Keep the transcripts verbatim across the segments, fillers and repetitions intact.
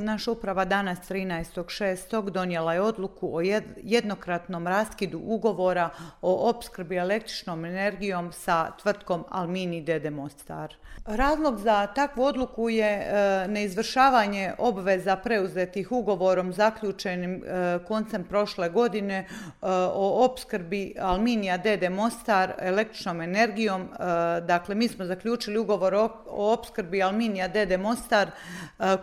Naša uprava danas trinaestog šestog donijela je odluku o jednokratnom raskidu ugovora o opskrbi električnom energijom sa tvrtkom Almini d d. Mostar. Razlog za takvu odluku je neizvršavanje obveza preuzetih ugovorom zaključenim koncem prošle godine o opskrbi Alminija d d. Mostar električnom energijom. Dakle, mi smo zaključili ugovor o opskrbi Alminija d d. Mostar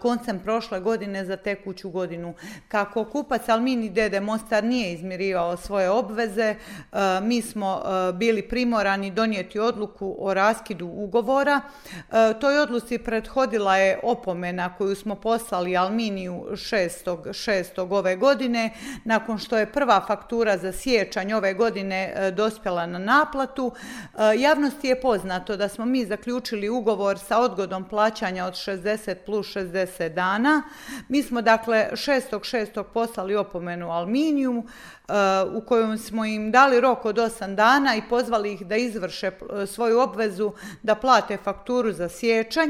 koncem prošle godine za tekuću godinu. Kako kupac Almini d d. Mostar nije izmirivao svoje obveze, mi smo bili primorani donijeti odluku o raskidu ugovora. Toj odluci prethodila je opomena koju smo poslali Alminiju šestog šestog ove godine, nakon što je prva faktura za siječanj ove godine dospjela na naplatu. Javnosti je poznato da smo mi zaključili ugovor sa odgodom plaćanja od šezdeset plus šezdeset dana. Mi smo dakle šestog šestog poslali opomenu Alminiju u kojom smo im dali rok od osam dana i pozvali ih da izvrše svoju obvezu da plate fakturu za siječanj.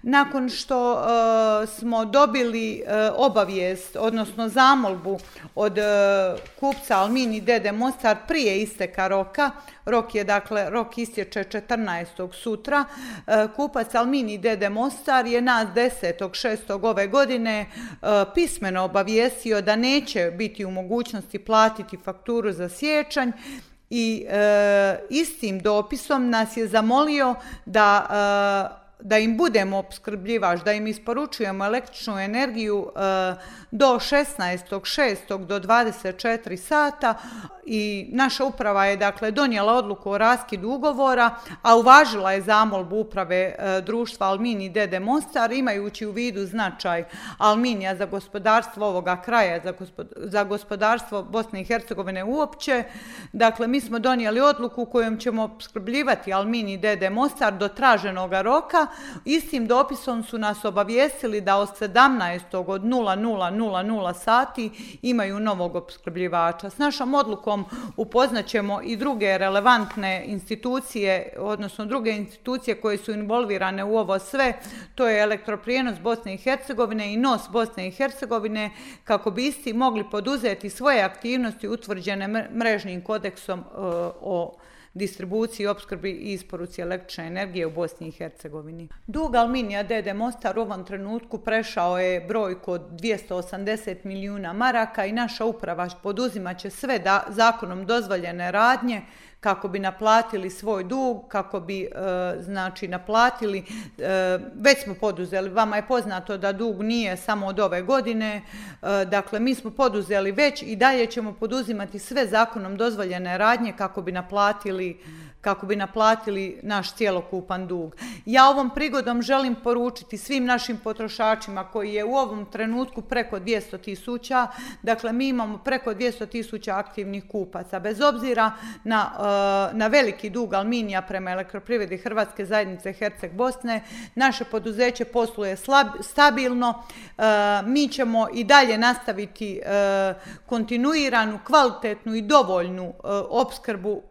Nakon što uh, smo dobili uh, obavijest, odnosno zamolbu od uh, kupca Almini d d. Mostar prije isteka roka, rok je dakle, rok istječe četrnaestog sutra, uh, kupac Almini d d. Mostar je nas desetog šestog ove godine uh, pismeno obavijestio da neće biti u mogućnosti platiti fakturu za siječanj i uh, istim dopisom nas je zamolio da uh, da im budemo opskrbljivač, da im isporučujemo električnu energiju e, do šesnaestog šestog do dvadeset četiri sata i naša uprava je dakle donijela odluku o raskidu ugovora, a uvažila je zamolbu uprave e, društva Almini d d. Mostar, imajući u vidu značaj Alminija za gospodarstvo ovoga kraja, za, gospod, za gospodarstvo Bosne i Hercegovine uopće. Dakle, mi smo donijeli odluku kojom ćemo opskrbljivati Almini d d. Mostar do traženog roka. Istim dopisom su nas obavijestili da od sedamnaestog od nula nula nula nula sati imaju novog opskrbljivača. S našom odlukom upoznaćemo i druge relevantne institucije, odnosno druge institucije koje su involvirane u ovo sve, to je Elektroprijenos Bosne i Hercegovine i N O S Bosne i Hercegovine, kako bi isti mogli poduzeti svoje aktivnosti utvrđene mrežnim kodeksom o distribuciji, opskrbi i isporuci električne energije u Bosni i Hercegovini. Dug Alminija d d. Mostar u ovom trenutku prešao je brojku od dvjesto osamdeset milijuna maraka i naša uprava poduzimat će sve da, zakonom dozvoljene radnje kako bi naplatili svoj dug, kako bi e, znači naplatili, e, već smo poduzeli, vama je poznato da dug nije samo od ove godine, e, dakle mi smo poduzeli već i dalje ćemo poduzimati sve zakonom dozvoljene radnje kako bi naplatili kako bi naplatili naš cjelokupan dug. Ja ovom prigodom želim poručiti svim našim potrošačima koji je u ovom trenutku preko dvjesto tisuća, dakle mi imamo preko dvjesto tisuća aktivnih kupaca, bez obzira na, na veliki dug Alminija prema Elektroprivredi Hrvatske zajednice Herceg Bosne, naše poduzeće posluje slab, stabilno, mi ćemo i dalje nastaviti kontinuiranu, kvalitetnu i dovoljnu opskrbu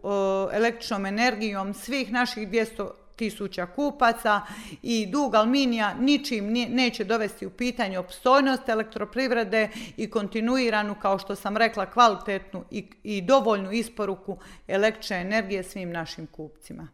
električnom energijom energijom svih naših dvjesto tisuća kupaca i dug Alminija ničim neće dovesti u pitanje opstojnost elektroprivrede i kontinuiranu, kao što sam rekla, kvalitetnu i, i dovoljnu isporuku električne energije svim našim kupcima.